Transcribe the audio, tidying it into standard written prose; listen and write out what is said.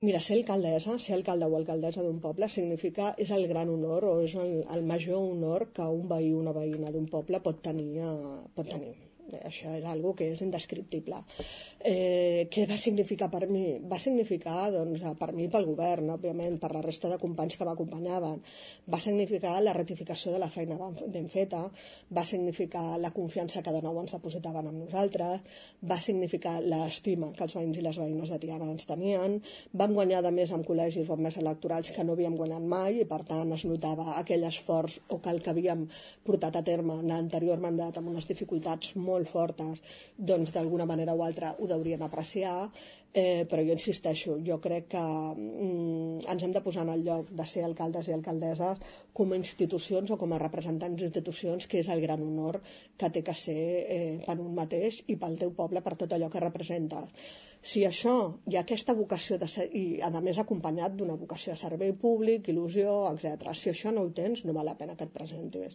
Mira, ser alcaldessa, ser alcalde o alcaldessa d'un poble és el gran honor o és el major honor que un veí o una veïna d'un poble pot tenir. Això és algo que és indescriptible. Què va significar per mi? Va significar, doncs, per mi i pel govern, òbviament, per la resta de companys que m'acompanyaven. Va significar la ratificació de la feina ben feta, va significar la confiança que de nou ens depositaven amb nosaltres, va significar l'estima que els veïns i les veïnes de Tiana ens tenien, vam guanyar de més en col·legis o en més electorals que no havíem guanyat mai i per tant es notava aquell esforç o que el que havíem portat a terme en l'anterior mandat amb unes dificultats molt fortes, doncs d'alguna manera o altra ho deurien apreciar, però jo insisteixo, jo crec que ens hem de posar en el lloc de ser alcaldes i alcaldesses com a institucions o com a representants d'institucions, que és el gran honor que té que ser per un mateix i pel teu poble, per tot allò que representa. Si això hi ha aquesta vocació de ser, i a més acompanyat d'una vocació de servei públic, il·lusió, etc. Si això no ho tens, no val la pena que et presentis.